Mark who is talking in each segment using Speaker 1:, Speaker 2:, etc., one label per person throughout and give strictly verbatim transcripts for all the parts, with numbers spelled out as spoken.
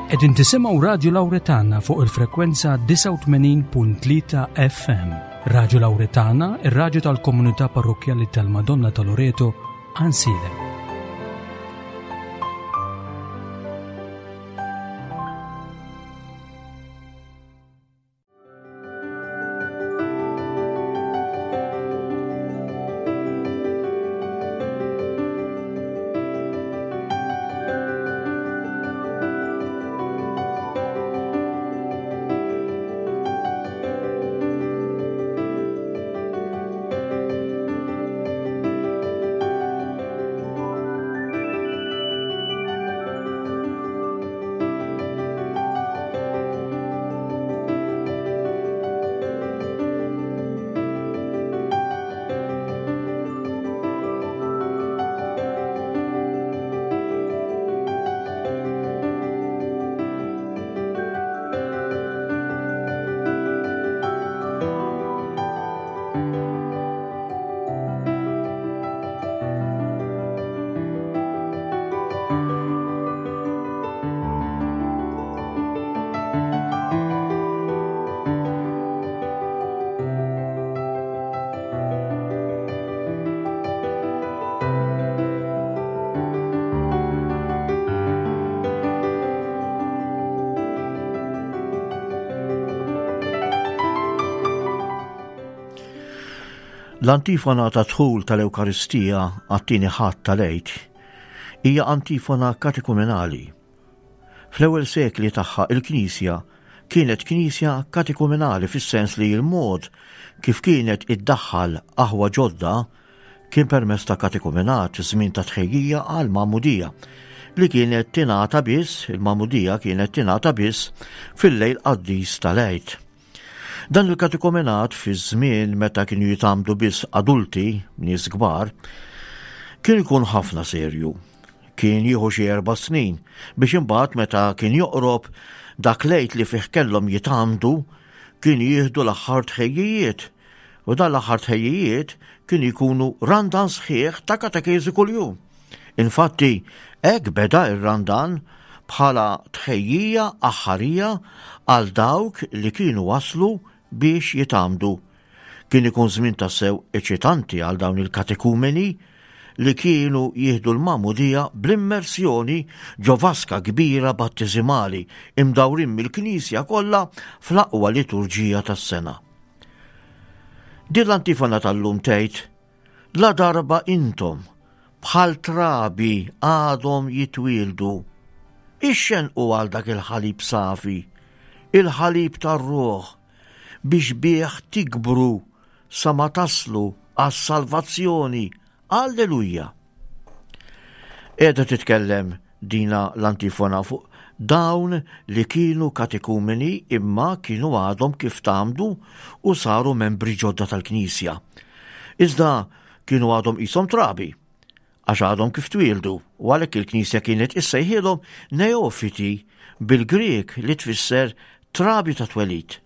Speaker 1: Qegħdin tisimgħu Radju Lawretana fuq il-frekwenza disgħa u tmenin punt tlieta F M. Radju Lawretana, ir-radju tal-Komunità Parrokkjali tal-Madonna ta' Loreto, Għajnsielem.
Speaker 2: L-antifona ta' dħul tal-Ewkaristija għat-tieni Ħadd tal-Għid hija antifona katekumenali. Fl-ewwel sekli tagħha, il-Knisja kienet Knisja katekumenali, fis-sens li l-mod kif kienet iddaħħal aħwa ġodda kien permezz ta' katekumenat, żmien ta' tħejjija għal magħmudija li kienet tingħata biss, il-magħmudija kienet tingħata biss fil-lejl qaddis tal-Għid. Dan il-katekumenat, fi żmien meta kienu jitgħammdu biss adulti, nies kbar, kien ikun ħafna serju. Kien jieħu xi erba' snin biex imbagħad, meta kien joqrob dak l-Għid li fih kellhom jitgħammdu, kien jieħdu l-aħħar tħejjijiet. U dan l-aħħar tħejjijiet kien jkunu randan sħiħ ta' katekeżi kuljum. Infatti, hekk beda ir-randan, bħala tħejjija aħħarija għal dawk li kienu waslu biex jitgħammdu. Kien ikun żmien tassew eċitanti għal dawn il-katekumeni li kienu jieħdu l-magħmudija bl-immersjoni ġo vaska kbira battizimali, imdawrin mill-Knisja kollha fl-aqwa liturġija tas-sena. Din l-antifona tal-lum tgħid: "La darba intom bħal trabi għadhom jitwildu, ixxenqu għal dak il-ħalib safi, il-ħalib tar-ruħ, biex bih tikbru sa ma taslu għas-salvazzjoni. Alleluja." Qiegħda titkellem dina l-antifona fuq dawn li kienu katekumeni imma kienu għadhom kif tgħammdu u saru membri ġodda tal-Knisja. Iżda kienu għadhom qishom trabi, għax għadhom kif twildu, u għalhekk il-Knisja kienet issejħilhom neofiti, bil-Grek li tfisser trabi ta' twelid.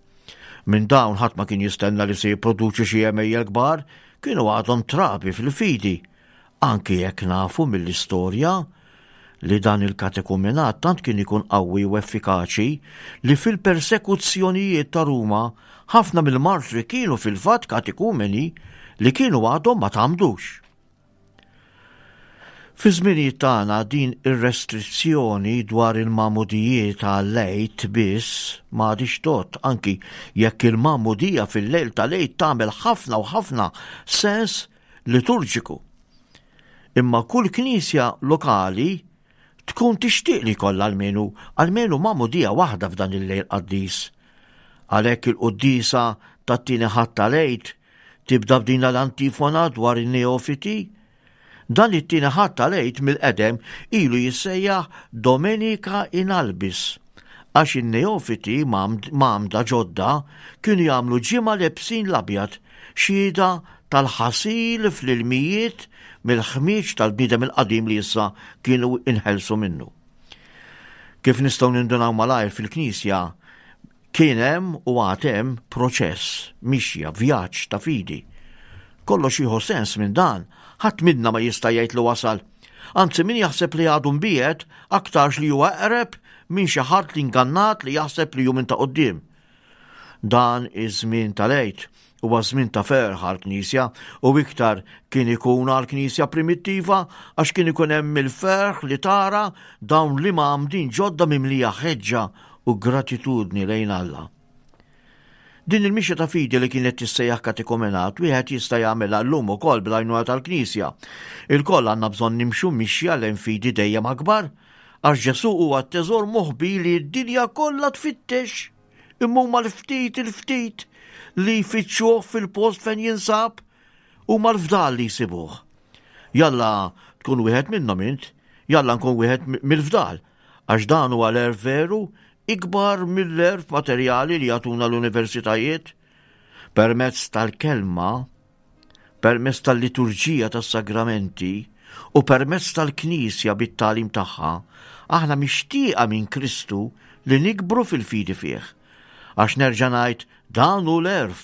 Speaker 2: Minn dawn ħadd ma kien jistenna li se jipproduċi xi għemejjel kbar, kienu għadhom trabi fil-fidi. Anki jekk nafu mill-istorja li dan il-katekumenat tant kien ikun qawwi u effikaċi li fil-persekuzzjonijiet ta' Ruma ħafna mill-martri kienu fil-fatt katekumeni li kienu għadhom ma tgħammdux. Fi żminijiet tagħna, din ir-restrizzjoni dwar il-magħmudijiet għall-Għid biss m'għadix tgħodd, anki jekk il-magħmudija fil-lejl tal-Għid tagħmel ħafna u ħafna sens liturġiku. Imma kull knisja lokali tkun tixtieq li jkollha almenu almenu magħmudija waħda f'dan il-lejl qaddis. Għalhekk il-quddisa tat-tieni Ħadd tal-Għid tibda b'din l-antifona dwar in-neofiti. Dan it-tieni Ħadd tal-Għid mill-qedem ilu jissejjaħ Domenica in Albis, għax in-neofiti mgħammda ġodda kienu jagħmlu ġimgħa lebsin l-abjad, xhieda tal-ħasil fl-ilmijiet mill-ħmieġ tal-bniedem il-qadim li issa kienu inħelsu minnu. Kif nistgħu nindunaw malajr, fil-Knisja kien hemm u għad hemm proċess, mixja, vjaġġ ta' fidi. Kollox jieħu sens minn dan, ħadd minna ma jista' jgħid li wasal. Anzi, min jaħseb li għadu mbiegħed, aktarx li huwa eqreb minn xi ħadd li ngannat li jaħseb li hu minn ta' quddiem. Dan iż-żmien tal-Għid huwa żmien ta' ferħ għall-Knisja u iktar kien ikun għall-Knisja primittiva għax kien ikun hemm il-ferħ li tara dawn li mgħammdin ġodda mimlija ħeġġa u gratitudni lejn Alla. Din il-mixja ta' fidi li kienet tissejjaħ katekumenat wieħed jista' jagħmilha llum ukoll bl-għajnuna tal-Knisja. Ilkoll għandna bżonn nimxu mixja lejn fidi dejjem akbar għax Ġesù huwa t-teżor moħbi li d-dinja kollha tfittex. Imma huma l-ftit il-ftit li jfittxuh fil-post fejn jinsab huma l-fdal li jsibuh. Jalla tkun wieħed minnhom int, jalla nkun wieħed mill-fdal, għax dan huwa l-għerf veru ikbar mill-għerf materjali li jagħtuna l-universitajiet. Permezz tal-kelma, permezz tal-liturġija tas-sagramenti u permezz tal-Knisja bit-tagħlim tagħha, aħna mixtieqa minn Kristu li nikbru fil-fidi fih. Għax nerġa' ngħid dan hu l-għerf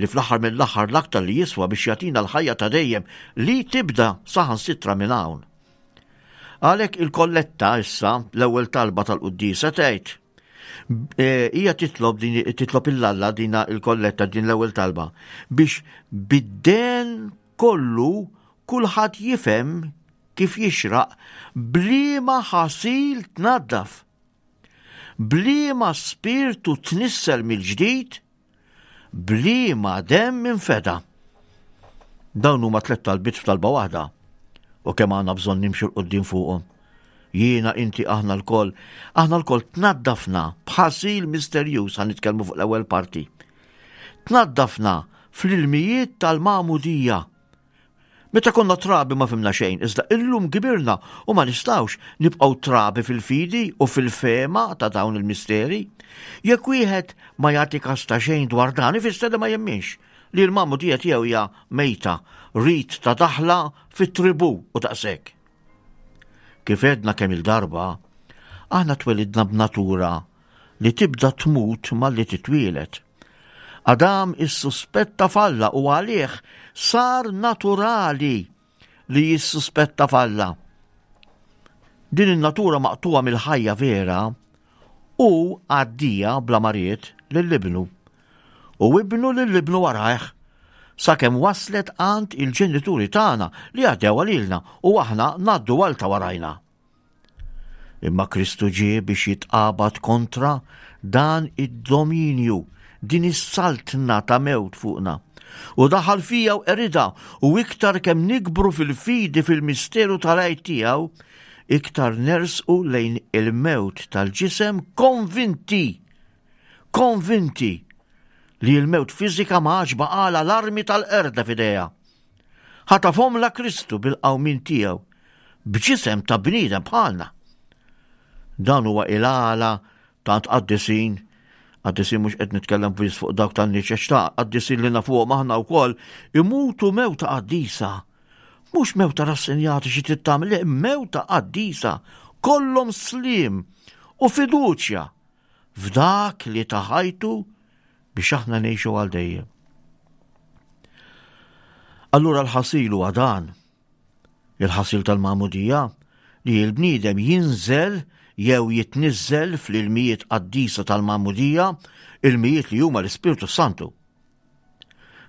Speaker 2: li fl-aħħar mill-aħħar l-aktar li jiswa biex jagħtina l-ħajja ta' dejjem li tibda saħansitra minn hawn. Għalhekk il-kolletta issa l-ewwel talba tal-quddiesa tgħid e, hija titlob din titlob 'il Alla dina il-kolletta din l-ewwel talba biex bid-den kollu kulħadd jifhem kif jixraq b'liema ħasil tnaddaf. B'liema spirtu tnissel mill-ġdid, b'liema demm infeda. Dawn huma tliet talbiet f'talba waħda u kemm għandna bżonn nimxu 'l quddiem fuqhom. Jiena, inti, aħna lkoll, aħna lkoll tnaddafna b'ħasil misterjuż ħa nitkellmu fuq l-ewwel parti. Tnaddafna fl-ilmijiet tal-magħmudija. Meta konna trabi ma fhimna xejn, iżda illum kbirna u ma nistgħux nibqgħu trabi fil-fidi u fil-fehma ta' dawn il-misteri. Jekk wieħed ma jagħti kas ta' xejn dwar dan, ifisser li ma jemminx li l-magħmudija tiegħu hija mejta, rit ta' daħla fit-tribu u daqshekk. Kif għedna kemm il-darba, aħna twelidna b'natura li tibda tmut malli titwielet. Adam issuspetta f'Alla u għalih sar naturali li jissuspetta f'Alla. Din in-natura maqtuwa mill-ħajja vera u għaddija bla ma ried lil ibnu. U ibnu lil ibnu warajh sakemm waslet għand il-ġenituri tagħna li għaddew lilna u aħna ngħaddu għal ta' warajna. Imma Kristu ġie biex jitqabad kontra dan id-dominju, din is-saltna ta' mewt fuqna. U daħal fija u qeridha u iktar kemm nikbru fil-fidi fil-misteru tal-Għid tiegħu, iktar nersqu lejn il-mewt tal-ġisem konvinti, konvinti li l-mewt fiżika ma għadx baqgħalha l-armi tal-qerda f'idejha. Ħatafhomlha Kristu bil-qawmien tiegħu, b'ġisem ta' bniedem bħalna. Dan huwa il-għala tant qaddisin, qaddisin mhux qed nitkellem biss fuq dawk tan-niċeċ ta' qaddisin li nafuhom aħna wkoll imutu mewta qaddisa. Mhux mewta rassenjati xi trid tagħmel, le, mewta qaddisa, kollhom sliem u fiduċja f'dak li ta ħajtu biex aħna ngħixu għal dejjem. Allura l-ħasil huwa dan. Il-ħasil tal-magħmudija li l-bniedem jinżel jew jitniżżel fl-ilmijiet qaddisa tal-magħmudija, ilmijiet li huma l-Ispirtu Santu.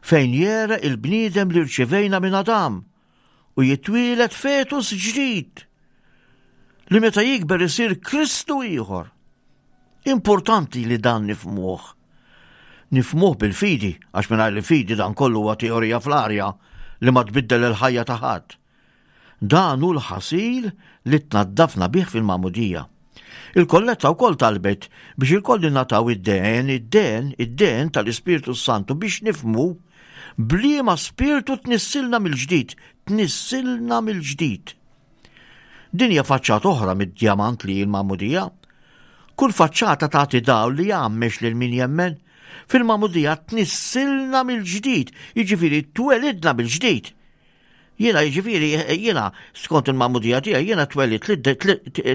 Speaker 2: Fejn jera il-bniedem li rċivejna minn Adam u jitwielet fetus ġdid li meta jikber isir Kristu ieħor. Importanti li dan nifhmuh. Nifhmuh bil-fidi, għax mingħajr il-fidi dan kollu huwa teorija fl-arja li ma tbiddel il-ħajja ta' ħadd. Dan hu l-ħasil li tnaddafna bih fil-magħmudija. Il-kolletta wkoll talbet biex ilkoll nataw id-den, id-den, id-den tal-Ispirtu Santu biex nifhmu b'liema spirtu tnissilna mill-ġdid, tnissilna mill-ġdid. Din hija faċċata oħra mid-djamant li l-magħmudija. Kull faċċata tagħti dawl li jgħammex lil min jemmen. Fil-magħmudija tnissilna mill-ġdid, jiġifieri twelidna mill-ġdid. Jiena jiġifieri jiena skont il-magħmudija tiegħi jiena twelidt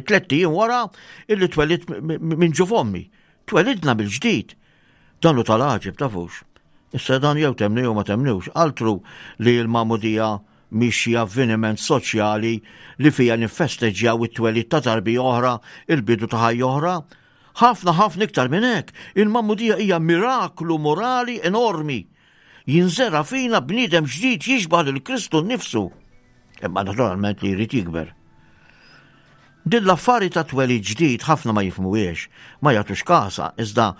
Speaker 2: tlett ijiem wara illi twelidt minn ġuf ommi. Twelidna mill-ġdid. Dan hu tal-għaġeb tafux. Issa dan jew temnu jew ma temnux. Altru li l-magħmudija mhix xi avveniment soċjali li fija niffesteġġjaw it-twelid ta' tarbija oħra, il-bidu ta' ħajja oħra. Ħafna ħafna iktar minn hekk, il-magħmudija hija miraklu morali enormi. Jinżera fina bniedem ġdid jixbah lil Kristu nnifsu. Imma naturalment li jrid jikber. Din l-affari ta' twelid ġdid ħafna ma jifhmuhiex, ma jagħtux kasha, iżda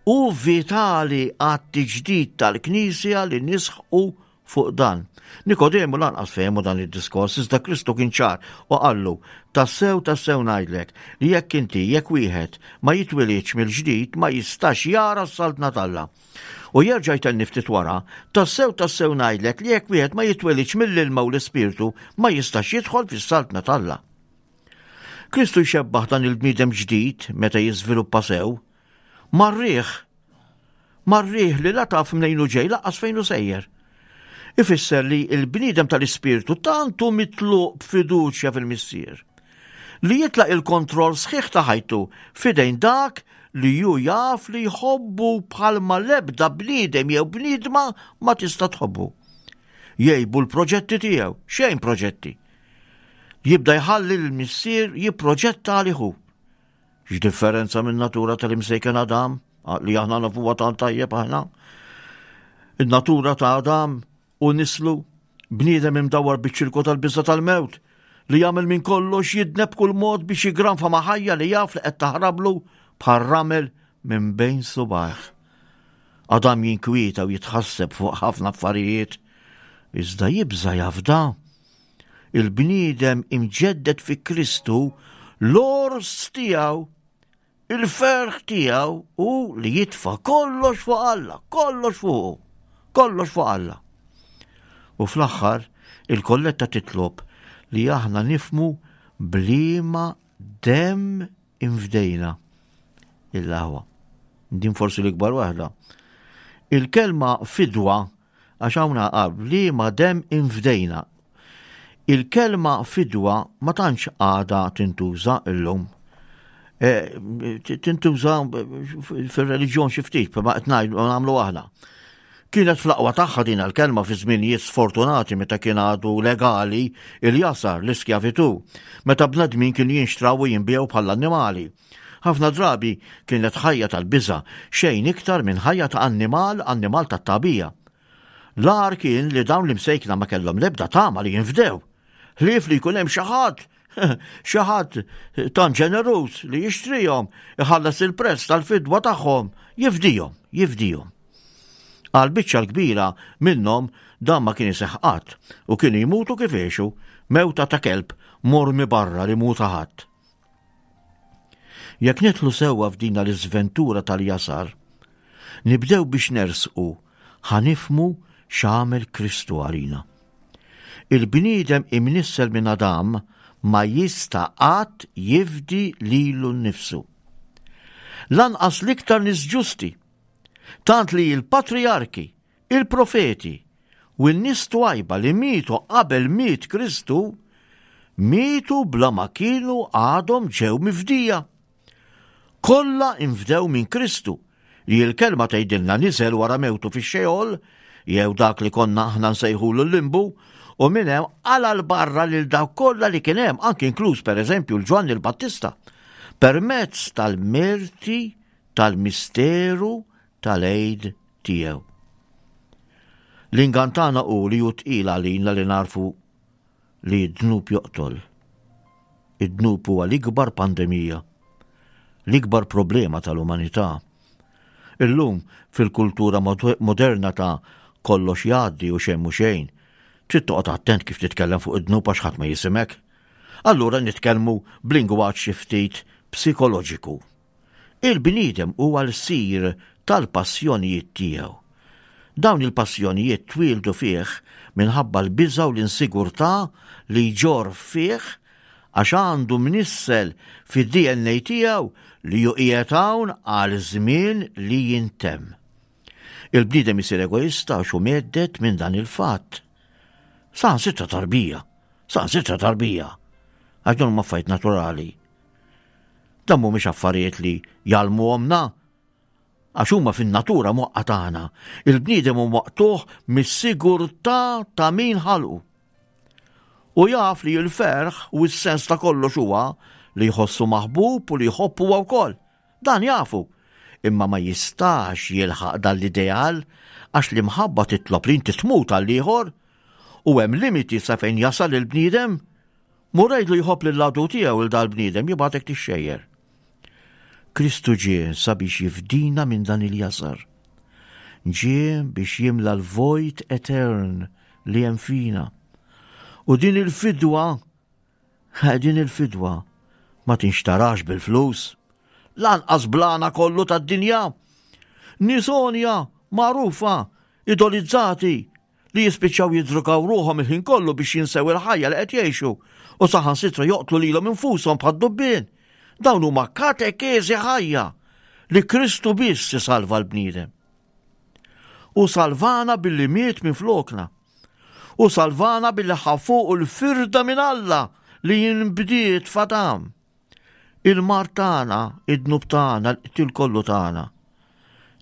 Speaker 2: hu vitali għat-tiġdid tal-Knisja li nisħqu fuq dan. Nikodemu lanqas fehmu dan id-diskors, iżda Kristu kien ċar u qallu, tassew tassew ngħidlek li jekk inti jekk wieħed ma jitwilidx mill-ġdid ma jistax jara s-saltna t'Alla. U jerġa' jtenni ftit wara, tassew tassew ngħidlek li jekk wieħed ma jitwilidx mill-ilma u l-ispirtu ma jistax jidħol fis-saltna t'Alla. Kristu jxebbaħ dan il-bniedem ġdid meta jiżviluppa sew mar-riħ. Mar-riħ li la taf mnejn hu ġej lanqas fejn hu sejjer. Ifisser li l-bniedem tal-ispirtu tant hu mitluq b'fiduċja fil-Missier li jitlaq il-kontroll sħiħ ta' ħajtu f'idejn dak li ju jaf li jħobbu bħalma l-ebda bniedem jew bniedma ma tista' tħobbu. Jgħibu l-proġetti tiegħu, xejn proġetti. Jibda jħalli l-Missier jipproġetta għalih hu. X'differenza minn natura tal-imsejken Adam, li aħna nafuha tant tajjeb aħna. In-natura ta' Adam u nislu bniedem imdawwar biċ-ċirku tal-biża' tal-mewt li jagħmel minn kollox jidneb kull mod biex jigranfa ma' ħajja li jaf li qed taħrablu bħal ramel minn bejn subajh. Adam jinkwieta u jitħasseb fuq ħafna affarijiet, iżda jibża' jafda. Il-bniedem imġedded fi Kristu l-ors tiegħu, il-ferħ tiegħu hu li jitfa' kollox fuq Alla, kollox fuqu, kollox fuq Alla. U fl-aħħar il-kolletta titlob li aħna nifmu bliema demm infdejna il-aħwa. Din forsi l-ikbar waħda. Il-kelma fidwa, għax hawn bliema demm infdejna. Il-kelma fidwa ma tantx għadha tintuża illum. E, tintuża fir-reliġjon xi ftit, ma qed ngħidu nagħmlu aħna. Kienet fl-aqwa tagħha din il-kelma fi żminijiet sfortunati meta kien għadu legali il-jasar, l-iskjavitu, meta bnedmin kienu jinxtraw u jinbiegħu bħala annimali. Ħafna drabi kienet ħajja tal-biża', xejn iktar minn ħajja ta' annimal, annimal tat-tagħbija. L-agħar kien li dawn l-imsejkna ma kellhom l-ebda tama li jinfdew. Ħlief li jkun hemm xi ħadd, xi ħadd tant ġeneruż li jixtrihom, iħallas il-prezz tal-fidwa tagħhom, jifdihom, jifdihom. Għal biċċa l-kbira minnhom dan ma kien iseħħ qatt u kienu jmutu kif għexu, mewta ta' kelb mormi barra li mhu ta' ħadd. Jekk nidħlu sewwa f'dina l-iżventura tal-jasar, nibdew biex nersqu ħa nifhmu x'għamel Kristu għalina. Il-bniedem imnissel minn Adam ma jista' qatt jifdi lilu nnifsu. Lanqas l-iktar nies ġusti, tant li l-patrijarki, il-profeti u n-nies twajba li mietu qabel miet Kristu, mietu bla ma kienu għadhom ġew mifdija. Kollha infdew minn Kristu, li l-kelma tgħidilna niżel wara mewtu fix-Xeol, jew dak li konna aħna nsejħulu l-limbu, u minn hemm qala 'l barra lil dawk kollha li kien hemm, anki inkluż pereżempju l-Ġwanni l-Battista, permezz tal-merti tal-misteru tal-għid tiegħu. L-ingann tagħna hu li hu tqil għalina li narfu li d-dnub joqtol. Id-dnub huwa l-ikbar pandemija, l-ikbar problema tal-umanità. Illum fil-kultura moderna ta' kollox jgħaddi u xejn mhu xejn, trid toqgħod attent kif titkellem fuq id-dnub għax ħadd ma jisimek. Allura nitkellmu b'lingwaġġ xi ftit psikoloġiku. Il-bniedem huwa l-sir tal-passjonijiet tiegħu. Dawn il-passjonijiet twieldu fih minħabba l-biża' u l-insigurtà li jġorr fih għax għandu mnissel fid-D N A tiegħu li hu qiegħed hawn għal żmien li jintemm. Il-bniedem isir egoista għax hu mhedded minn dan il-fatt. Saħansitra tarbija, saħansitra tarbija, għax dawn huma affarijiet naturali. Dan mhumiex affarijiet li jgħallmuhomna, għax huma fin-natura moqqa tagħna. Il-bniedem hu maqtugħ mis-sigurtà ta' min ħalqu. U jaf li l-ferħ u s-sens ta' kollox huwa li jħossu maħbub u li jħobb huwa wkoll. Dan jafu. Imma ma jistax jilħaq dan l-ideal għax l-imħabba titlob li inti tmut għall-ieħor u hemm limiti sa fejn jasal il-bniedem. Mur għidlu jħobb lill-għadu tiegħu 'l dal-bniedem jibgħatek tixxejjer. Kristu ġie sabiex jifdina minn dan il-jasar. Ġie biex jimla l-vojt etern li hemm fina. U din il-fidwa, din il-fidwa ma tinxtarax bil-flus, lanqas bl-għana kollu tad-dinja. Nies għonja, magħrufa, idolizzati, li jispiċċaw jiddrugaw ruħhom il-ħin kollu biex jinsew il-ħajja li qed jgħixu u saħansitra joqtlu lilhom infushom bħad-dubbien. Dawn huma katekeżi ħajja li Kristu biss isalva l-bniedem. U salvana billi miet minn flokna. U salvana billi ħa fuqu l-firda minn Alla li jinbdiet f'Adam. Il-mard tagħna, id-dnub tagħna, l-qtil kollu tagħna,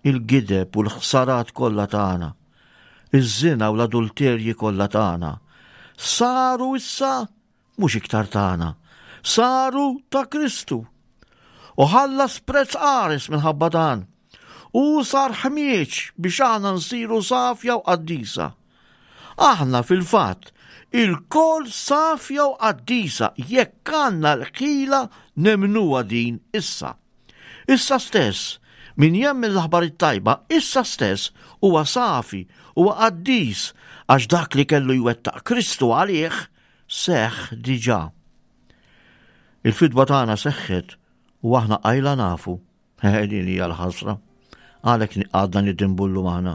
Speaker 2: il-gideb u l-ħsarat kollha tagħna, iż-żina u l-adulterji kollha tagħna, saru issa mhux iktar tagħna, saru ta' Kristu. U ħallas prezz qares minħabba dan. U sar ħmieġ biex aħna nsiru safja u qaddisa. Aħna fil-fatt ilkoll safja u qaddisa jekk għandna l-ħila nemmnuha din issa. Issa stess, min jemmen l-aħbar it-tajba, issa stess huwa safi, huwa qaddis, għax dak li kellu jwettaq Kristu għalih seħħ diġà. Il-fidwa tagħna seħħet u aħna qajla nafu. Din hija l-ħasra. Għalhekk għadna nidinbu llum aħna.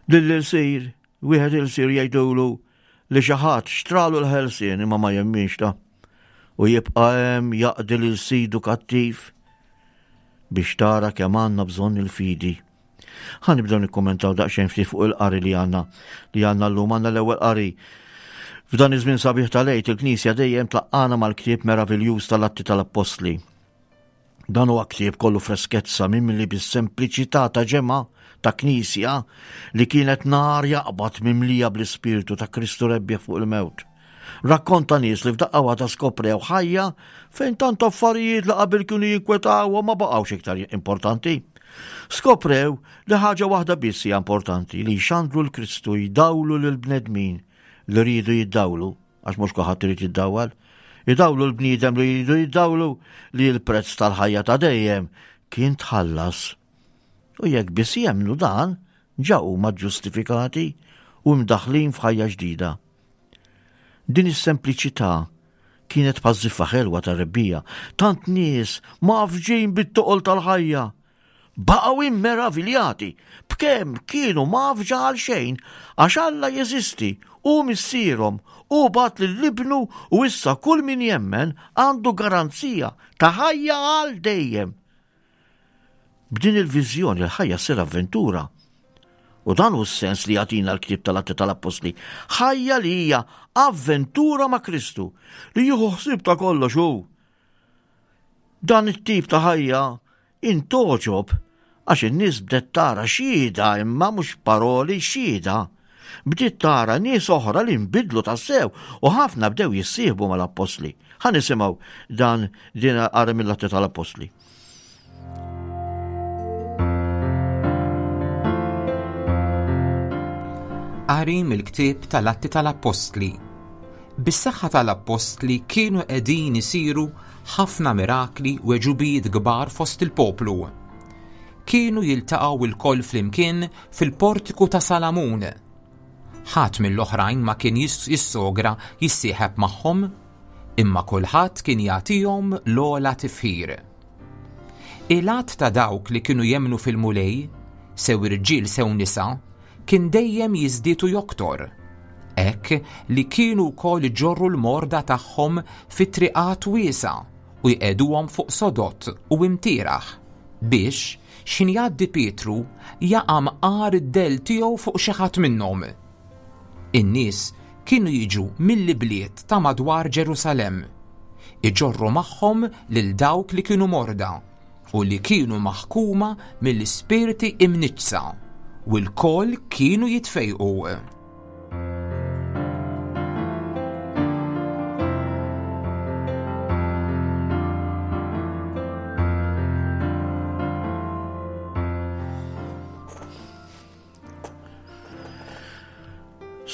Speaker 2: Lill-ilsir, wieħed ilsir jgħidulu li xi ħadd xtralu l-ħelsien imma ma jemminx ta' u jibqa' hemm jaqdi lil sidu kattiv biex tara kemm għandna bżonn il-fidi. Ħa nibdew nikkummentaw daqsxejn ftit fuq il-qari li għandna li għandna llum għandna l-ewwel qari. F'dan iż-żmien sabiħ tal-Għid il-Knisja dejjem tlaqqana mal-ktieb meraviljuż tal-Atti tal-Appostli. Dan huwa ktieb kollu freskezza mimli bis-sempliċità ta' ġemgħa ta' knisja li kienet nar jaqbad mimlija bl-ispirtu ta' Kristu rebbieħ fuq il-mewt. Rakkont ta' nies li f'daqqa waħda skoprew ħajja fejn tant affarijiet li qabel kienu jinkwetawhom ma baqgħux iktar importanti. Skoprew li ħaġa waħda biss hija importanti li jxandru l-Kristu jdawlu lill-bnedmin li riedu jiddawlu, għax mhux kulħadd irid jiddawwal. Idawlu l-bniedem li jridu jiddawlu li l-prezz tal-ħajja ta' dejjem kien tħallas. U jekk biss jemmnu dan, ġa huma ġustifikati u mdaħlin f'ħajja ġdida. Din is-sempliċità kienet bħaż-żiffa ħelwa tar-rebbija, tant nies mgħaffġin bit-toqol tal-ħajja. Baqgħu immeraviljati b'kemm kienu mgħaffġa għal xejn għax Alla jeżisti, hu missierhom, hu bagħat lil ibnu u issa kull min jemmen għandu garanzija ta' ħajja għal dejjem. B'din il-viżjoni l-ħajja ssir avventura. U dan hu s-sens li jagħtina l-ktieb tal-Atti tal-Appostli. Ħajja li hija avventura ma' Kristu, li jieħu ħsieb ta' kollox hu. Dan it-tip ta' ħajja intogħġob għax in-nies bdet tara xhieda imma mhux paroli xhieda. Bdiet tara nies oħra li nbidlu tassew u ħafna bdew jissieħbu mal-Appostli. Ħa nisimgħu dan din qari mill-Atti tal-Appostli.
Speaker 3: Qari mill-ktieb tal-Atti tal-Appostli. Bis-saħħa tal-Appostli kienu qegħdin isiru ħafna mirakli u għeġubijiet kbar fost il-poplu. Kienu jiltaqgħu lkoll flimkien fil-portiku ta' Salamun. Ħadd mill-oħrajn ma kien jissogra jissieħeb magħhom, imma kulħadd kien jagħtihom l-ogħla tifħir. Il-għadd ta' dawk li kienu jemmnu fil-Mulej, sew irġiel sew nisa, kien dejjem jiżdied u joktor, hekk li kienu wkoll iġorru l-morda tagħhom fi triqat wiesa' u jqegħduhom fuq sodot u imtieraħ biex x'ħin jgħaddi Pietru jaqa' mqar id-dell tiegħu fuq xi ħadd minnhom. In-nies kienu jiġu mill-ibliet ta' madwar Ġerusalemm, iġorru magħhom lil dawk li kienu morda u li kienu maħkuma mill-ispirti imniġġsa, u lkoll kienu jitfejqu.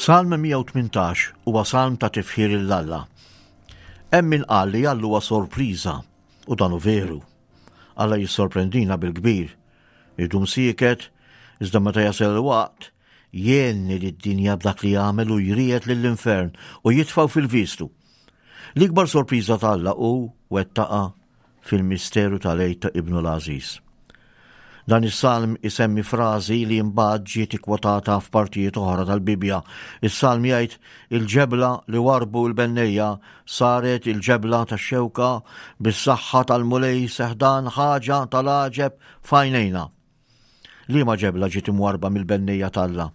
Speaker 2: Salm mija u tmintax huwa salm ta' tifħir lil Alla. Hemm min qal li Alla huwa sorpriża, u dan hu veru. Alla jissorprendina bil-kbir. Idum sieket, iżda meta jasal il-waqt, jgħinni lid-dinja b'dak li jagħmel u jriegħed lill-infern u jitfgħu fil-vistu. L-ikbar sorpriża t'Alla hu wettaqa fil-misteru tal-Għid ta' Ibnu l-Għażiż. Dan is-salm isemmi frażi li mbagħad ġiet ikkwotata f'partijiet oħra tal-Bibbja. Is-salm jgħid il-ġebla li warbu l-bennejja saret il-ġebla tax-xewka bis-saħħa tal-Mulej seħdan ħaġa tal-għaġeb f'għajnejna. Liema ġebla ġiet imwarba mill-bennejja t'Alla?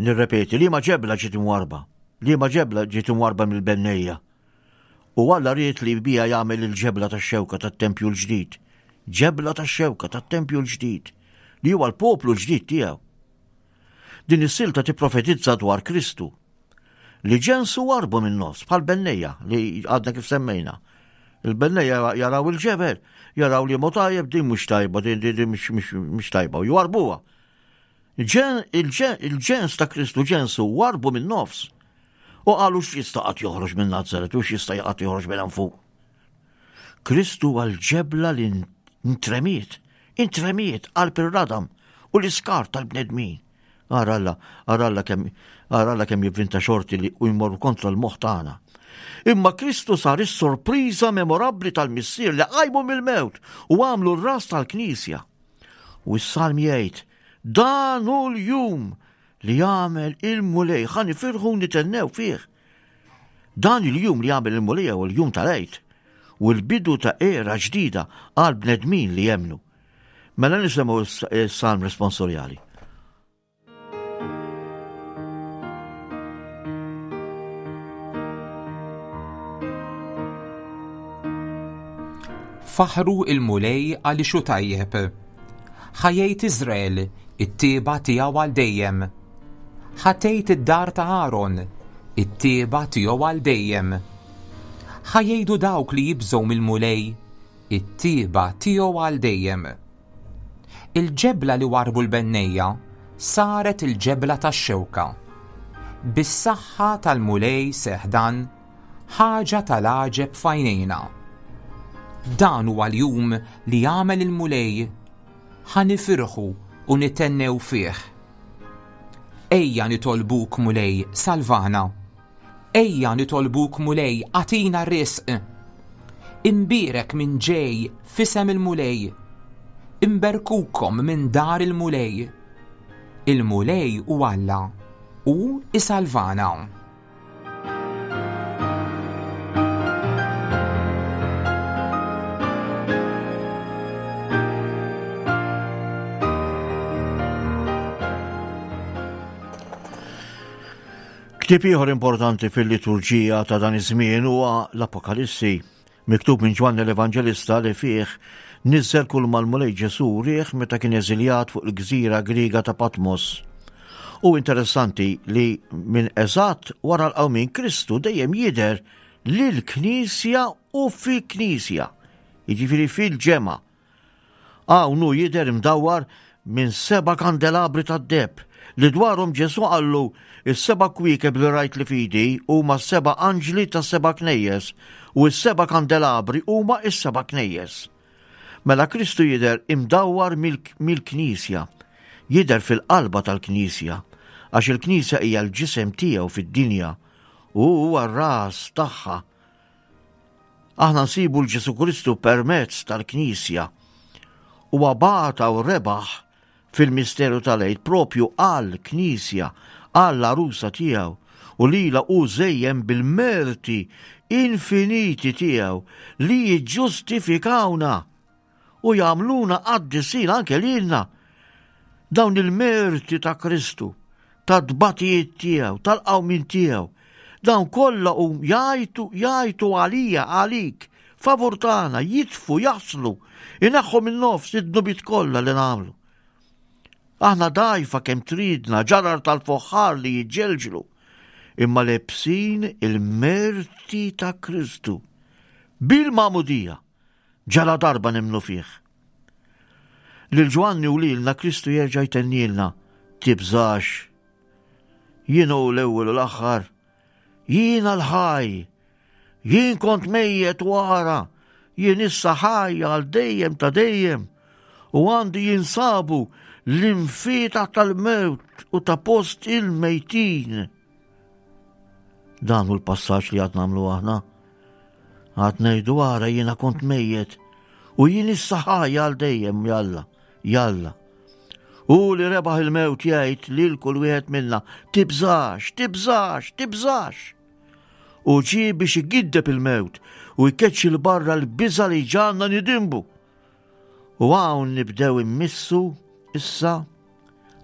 Speaker 2: Nirrepeti, liema ġebla ġiet imwarba? Liema ġebla ġiet imwarba mill-bennejja? U Alla ried li bija jagħmel il-ġebla tax-xewka tat-tempju l-ġdid. Ġebla tax-xewka tat-tempju l-ġdid, li huwa l-poplu l-ġdid tiegħu. Din is-silta tipprofetizza dwar Kristu, li ġensu warbu minn nofs bħal bennejja li għadna kif semmejna. Il-bennejja jaraw il-ġebel, jaraw li mo tajjeb, din mhux tajba, din, din, din mhux, mhux, mhux tajba, u jwarbuha. Il-ġen-, il-ġen-, il-ġens ta' Kristu ġensu warbu minn nofs. U qalu x'jista' qatt joħroġ minn Nazaret u x'jista' qatt joħroġ minn hemm fuq. Kristu għal ġebla li ntremiet, intremiet qalb ir-radam u l-iskar tal-bnedmin. Ara Alla, ara Alla kemm, ara Alla kemm jivvinta xorti li u jmorru kontra l-moħħ tagħna. Imma Kristu sar is-sorpriża memorabbli tal-Missier li qajmu mill-mewt u għamlu r-ras tal-Knisja. U s-salm jgħid, dan hu l-jum li jagħmel il-Mulej, ħa nifirħu nitennew fih. Dan il-jum li jagħmel il-Mulej huwa l-jum tal-Għid u l-bidu ta' era ġdida għal bnedmin li jemmnu. Mela nisimgħu s-salm responsorjali.
Speaker 3: Faħru il-Mulej għaliex hu tajjeb. Ħajjejt Iżrael, it-tieba tiegħu għal dejjem. Ħatejt id-dar ta' Aaron, it-tieba tiegħu għal dejjem. Ħajjejdu dawk li jibżgħu mill-Mulej, it-tieba tiegħu għal dejjem. Il-ġebla li warbu l-bennejja saret il-ġebla tax-xewka. Bis-saħħa tal-Mulej seħdan, ħaġa tal-għaġeb f'għajnejna. Dan huwa l-jum li jagħmel il-Mulej, ħa nifirħu u nitennew fih. Ejja nitolbuk Mulej, salvana. Ejja nitolbuk Mulej, agħtina r-risq. Imbierek minn ġej f'isem il-Mulej. Imberkukom minn dar il-Mulej. Il-Mulej u Alla u isalvana.
Speaker 2: Ktieb ieħor importanti fil-liturġija ta' dan iż-żmien huwa l-Apokalissi, miktub minn Ġwanni l-Evanġelista li fih niżel kull mal-Mulej Ġesu rieħ meta kien eżiljat fuq il-gżira Griega ta' Patmos. U interessanti li minn eżatt wara l-qawmien Kristu dejjem jidher lill-Knisja u fil-Knisja, jiġifieri fil-ġemgħa. Hawn hu jidher imdawwar minn seba' kandelabri tad-deheb li dwarhom Ġesu qallu is-seba' kwiekeb li rajt li fidi huma s-seba' anġli tas-seba' knejjes u s-seba' kandelabri huma s-seba' knejjes. Mela Kristu jidher imdawwar mill-, mill-Knisja, jidher fil-qalba tal-Knisja, għax il-Knisja hija l-ġisem tiegħu fid-dinja u huwa r-ras tagħha. Aħna nsibu l-Ġesu Kristu permezz tal-Knisja. Huwa bagħata u rebaħ fil-misteru tal-Għid propju għall-Knisja, għall-għarusa tiegħu, u lila hu żejjem bil-merti infiniti tiegħu li jiġġustifikawna u jagħmluna qaddisin anke lilna. Dawn il-merti ta' Kristu, ta' tbatijiet tiegħu, tal-qawmien tiegħu, dawn kollha hu jgħajtu, jgħajtu għalija, għalik, favur tagħna, jitfu, jaħslu, ineħħu minn nofs id-dnubiet kollha li nagħmlu. Aħna dgħajfa kemm tridna, ġarar tal-foħħar li jiġġelġlu, imma lebsin il-merti ta' Kristu bil-magħmudija ġala darba nemmnu fih. Lil Ġwanni u lilna Kristu jerġa' jtennilna, Tibżax, jien hu l-ewwel u l-aħħar, jiena l-ħaj, jien kont mejjet u ara, jien issa ħaj għal dejjem ta' dejjem, u għandi jinsabu l-imfietaħ tal-mewt u ta' post il-mejtin. Dan hu l-passaġġ li għad nagħmlu aħna. Għad ngħidu ara jiena kont mejjet u jien issa ħaj għal dejjem jalla, jalla. U li rebaħ il-mewt jgħid lil kull wieħed minna tibżax, tibżax, tibżax. U ġie biex igiddeb il-mewt u jkeċċi 'l barra l-biża' li ġagħalna nidinbu. U hawn nibdew immissu issa,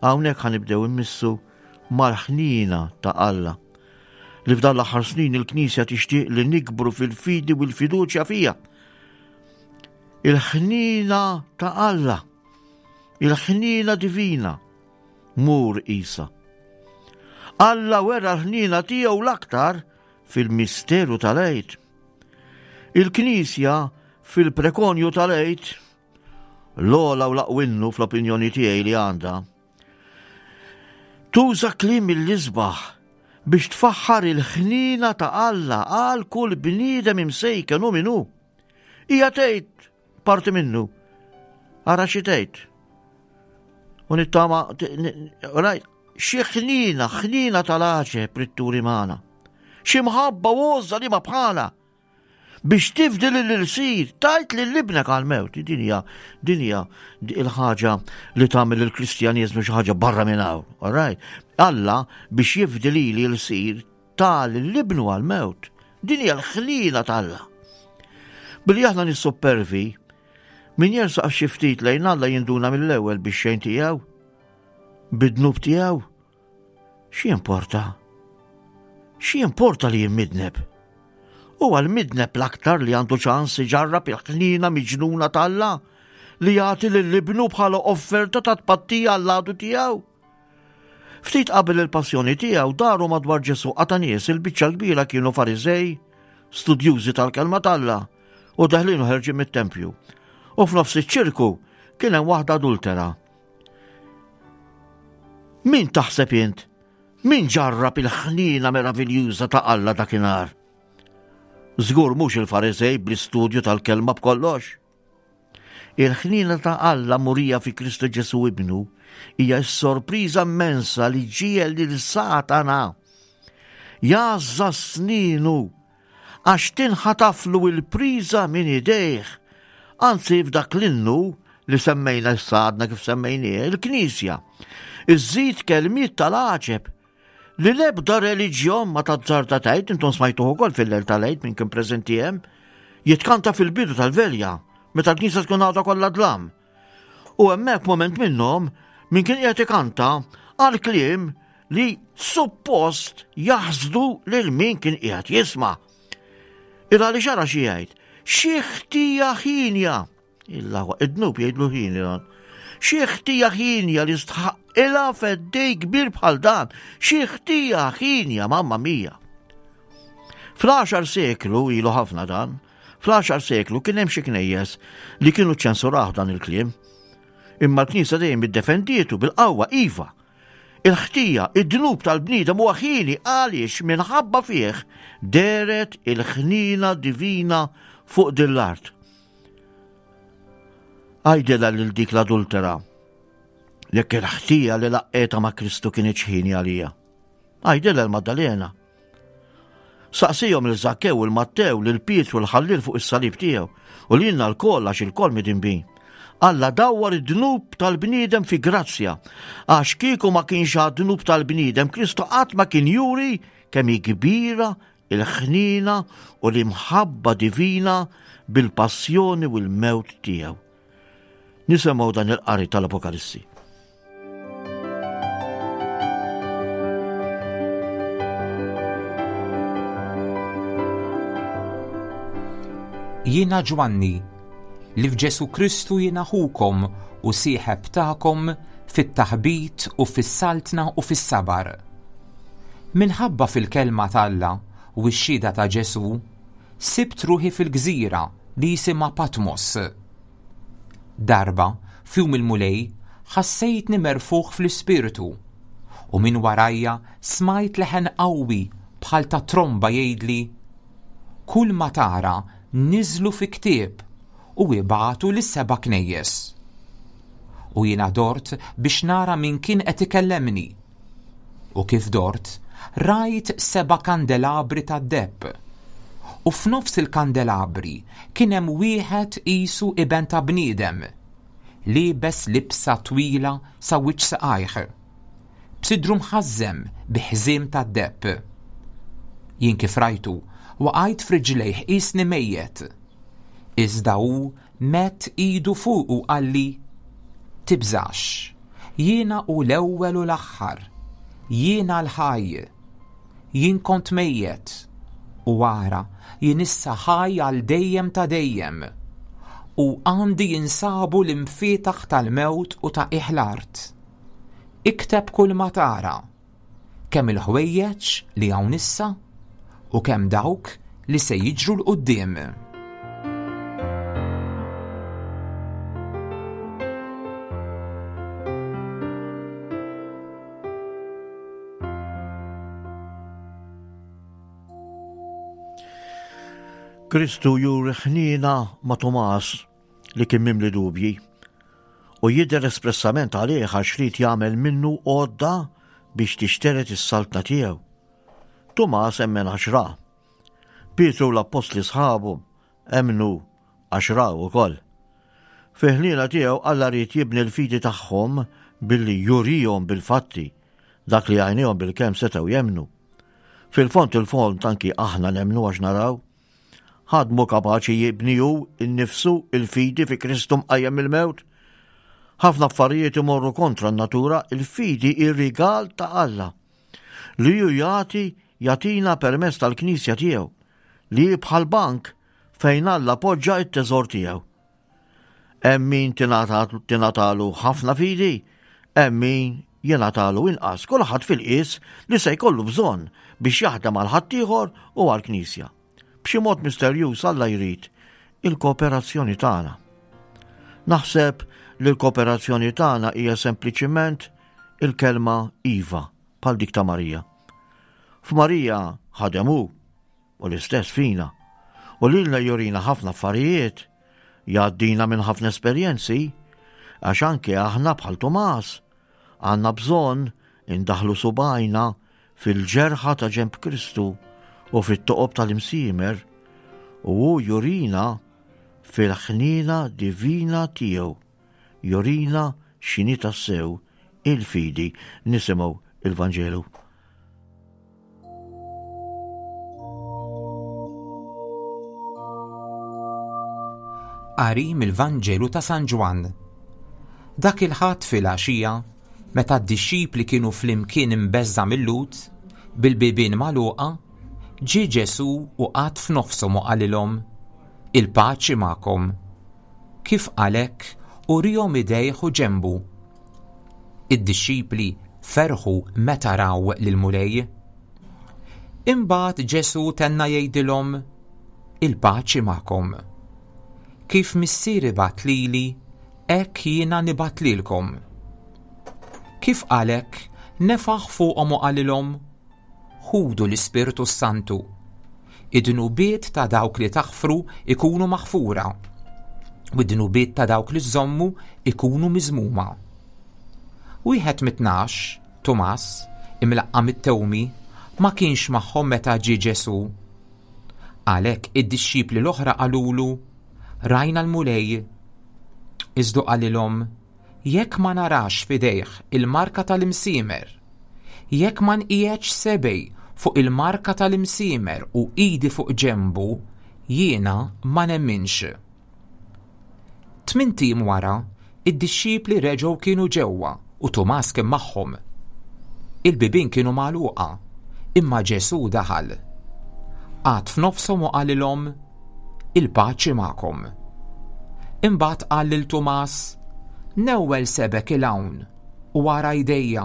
Speaker 2: hawnhekk ħa nibdew immissu mal-ħnina ta' Alla. Li f'dan l-aħħar snin il-Knisja tixtieq li nikbru fil-fidi u l-fiduċja fija. Il-ħnina ta' Alla, il-ħnina divina, mur isa. Alla wera l-ħnina tiegħu l-aktar fil-misteru tal-Għid. Il-Knisja fil-prekonju tal-Għid, l-ogħla u l-aqwa innu fl-opinjoni tiegħi li għandha, tuża kliem mill-isbaħ biex tfaħħar il-ħnina ta' Alla għal kull bniedem imsejken u minnu. Hija tgħid parti minnu. Ara xi tgħid. U nittama, rajt, xi ħnina, ħnina tal-għaġeb ritturi magħna. Xi mħabba u għożża li ma bħala. Biex tifdi lill-ilsir, tajt lil ibnek għal-mewt. Din hija, din hija il-ħaġa li tagħmel il-Kristjaniżmu xi ħaġa barra minn hawn. All right? Alla biex jifdi lili l-ilsir ta lil ibnu għal-mewt. Din hija l-ħnina t'Alla. Billi aħna nissupervi, min jersaq xi ftit lejn Alla jinduna mill-ewwel biex xejn tiegħu, bid-dnub tiegħu. Xi importa? Xi importa li jimmidneb? U għal-midneb l-aktar li għandu ċans iġarrab il-ħnina miġnuna t'Alla li jagħti lil ibnu bħala offerta ta' tpattija għall-għadu tiegħu. Ftit qabel il-passjoni tiegħu daru madwar Ġesù qata' nies, il-biċċa kbira kienu Fariżej, studjużi tal-kelma t'Alla u deħlin u ħerġin mit-tempju. U f'nofs iċ-ċirku kien hemm waħda adultera. Min taħseb int? Min ġarrab il-ħnina meraviljuża ta' Alla dakinhar? Żgur mhux il-Fariżej bl-istudju tal-kelma b'kollox. Il-ħnina ta' Alla murija fi Kristu Ġesù ibnu hija s-sorpriża immensa li ġiegħel lil Satana jgħażża sninu għax tinħataflu il-priża minn idejh. Anzi f'dak l-innu li semmejna issa għadna kif semmejnieh, il-Knisja iżżid kelmiet tal-għaġeb li l-ebda reliġjon ma tazzarda tgħid, intom smajtuh ukoll fil-lejl tal-Għid minn kien preżenti hemm, jitkanta fil-bidu tal-velja, meta l-Knisja tkun għadha kollha dlam. U hemmhekk moment minnhom min kien qiegħed ikanta għal kliem li suppost jaħsdu lil min kien qiegħed jisma'. Il għaliex ara xi jgħid, xi ħtija ħinja. Illa id-dnub jgħidlu ħini dan. Xi ħtija ħinja li stħaqilha feddej kbir bħal dan, xi ħtija ħinja, mamma mia. Fl-għaxar seklu, ilu ħafna dan, fl-għaxar seklu kien hemm xi knejjes li kienu ċensuraw dan il-kliem. Imma l-Knisja dejjem iddefendietu bil-qawwa iva. Il-ħtija, id-dnub tal-bniedem huwa ħini għaliex minħabba fih deret il-ħnina divina fuq din l-art. Għajdilha lil dik l-adultera, jekk il-ħtija li laqqeta ma' Kristu kienet ħini għalija. Għajdilha l-Maddalena. Saqsihom lil Żakkew u l-Mattew, lil Pietru l-ħallil fuq is-salib tiegħu u lilna lkoll għax ilkoll midinbin. Alla dawwar id-dnub tal-bniedem fi grazzja, għax kieku ma kienx għad-dnub tal-bniedem, Kristu qatt ma kien juri kemm hi kbira il-ħnina u l-imħabba divina bil-passjoni u l-mewt tiegħu. Nisimgħu dan il-qari tal-Apokalissi.
Speaker 3: Jiena Ġwanni, li f'Ġesu Kristu jiena ħukom u sieħeb tagħkom fit-taħbit u fis-saltna u fis-sabar. Minħabba fil-kelma t'Alla u x-xhieda ta' Ġesu, sibt ruħi fil-gżira li jisimha Patmos. Darba, f'jum il-Mulej, ħassejtni merfuħ fl-ispirtu U minn warajja smajt leħen qawwi bħal ta' tromba jgħidli: Kull ma tara niżlu fi ktieb u ibagħtu lis-seba' knejjes. U jiena dort biex nara min kien qed ikellemni. U kif dort, rajt seba' kandelabri tad-deheb. U f'nofs il-kandelabri kien hemm wieħed qisu iben ta' bniedem, liebes libsa twila sa wiċċ saqajh, b'sidru mħażżem bi ħżiem tad-deheb. Jien kif rajtu, waqajt f'riġlejh qisni mejjet. Iżda hu medd idu fuqi u qalli: Tibżax, jiena hu l-ewwel u l-aħħar, jiena l-ħaj. Jien kont mejjet, u ara, jien issa ħaj għal dejjem ta' dejjem, u għandi jinsabu l-imfietaħ tal-mewt u ta' qiegħ l-art. Ikteb kull ma tara, kemm il-ħwejjeġ li hawn issa u kemm dawk li se jiġru 'l quddiem.
Speaker 2: Kristu juri ħniena ma' Tumas li kien mimli dubji u jidher espressament għalih għax ried jagħmel minnu għodda biex tixtered is-saltna tiegħu. Tumas emmen għax ra. Pietru u l-appostli sħabu emmnu għax raw ukoll. Fi ħniena tiegħu Alla ried jibni l-fidi tagħhom billi jurihom bil-fatti dak li għajnejhom bil-kemm setgħu jemmnu. Fil-fond il-fond anki aħna nemmnu għax naraw. Ħadd mhu kapaċi jibni hu nnifsu il-fidi fi Kristu mqajjem mill-mewt. Ħafna affarijiet imorru kontra n-natura, il-fidi ir-rigal ta' Alla li hu jagħti jagħtina permezz tal-Knisja tiegħu li hi bħal bank fejn Alla poġġa t-teżor tiegħu. Hemm min tingħatalu ħafna fidi, hemm min jingħatalu inqas, kulħadd fil-qies li se jkollu bżonn biex jaħdem għal ħaddieħor u għall-Knisja. B'xi mod misterjuż Alla jrid il-kooperazzjoni tagħna. Naħseb li l-kooperazzjoni tagħna hija sempliċiment il-kelma Iva, bħal dik ta' Marija. F'Marija ħadem hu, u l-istess fina. U lilna jurina ħafna affarijiet, jgħaddina minn ħafna esperjenzi, għax anke aħna bħal Tumas għandna bżonn indaħlu subajna fil-ġerħa ta' ġenb Kristu u fit-toqob tal-imsiemer, u hu jurina fil-ħnina divina tiegħu, jurina x'inhi tassew il-fidi. Nisimgħu il-Vanġelu.
Speaker 3: Qari mill-Vanġelu ta' San Ġwann. Dak il-Ħadd fil-għaxija, meta d-dixxipli kienu flimkien imbeżża' mil-Lhud, bil-bibien magħluqa, ġie Ġesù u qagħad f'nofshom u qalilhom: Il-paċi magħkom. Kif qal hekk, urihom idejh u ġenbu. Id-dixxipli ferħu meta raw lill-Mulej. Imbagħad Ġesù tenna jgħidilhom: Il-paċi magħkom. Kif Missieri bagħat lili, hekk jiena nibgħat lilkom. Kif qal hekk, nefaħ fuqhom u qalilhom: Ħudu l-Ispirtu Santu. Id-dnubiet ta' dawk li taħfru ikunu maħfura, u d-dnubiet ta' dawk li żommu ikunu miżmuma. Wieħed mit-tnax, Tumas, imlaqqam it-Tewmi, ma kienx magħhom meta ġie Ġesù. Għalhekk id-dixxipli l-oħra qalulu: Rajna l-Mulej. Iżda qalilhom: Jekk ma narax f'idejh il-marka tal-imsiemer, jekk ma nqiegħedx sebgħi fuq il-marka tal-imsiemer u idi fuq ġenbu, jiena ma nemminx. Tmint ijiem wara, id-dixxipli reġgħu kienu ġewwa u Tumas kien magħhom. Il-bibien kienu magħluqa, imma Ġesù daħal. Qagħad f'nofshom u qalilhom: Il-paċi magħkom. Imbagħad qal lil Tumas: Newwel sebgħek 'il hawn u ara jdejja,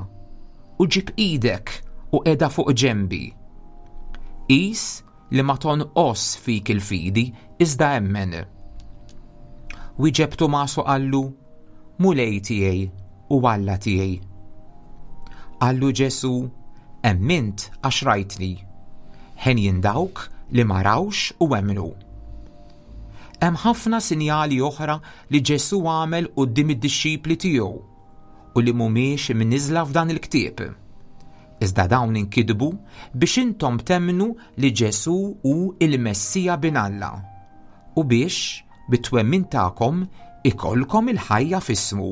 Speaker 3: u ġib idek u qiegħda fuq ġenbi. Qis li ma tonqos fik il-fidi, iżda emmen. Wieġeb Tumas u qallu: Mulej tiegħi u Alla tiegħi. Qallu Ġesù, Emmint għax rajtni. Henjin dawk li ma rawx u emmnu. Hemm ħafna sinjali oħra li Ġesù għamel quddiem id-dixxipli tiegħu u li mhumiex imniżżla f'dan il-ktieb. Iżda dawn inkitbu biex intom temmnu li Ġesù hu il-Messija bin Alla u biex bit-twemmin tagħkom ikollkom il-ħajja f'ismu.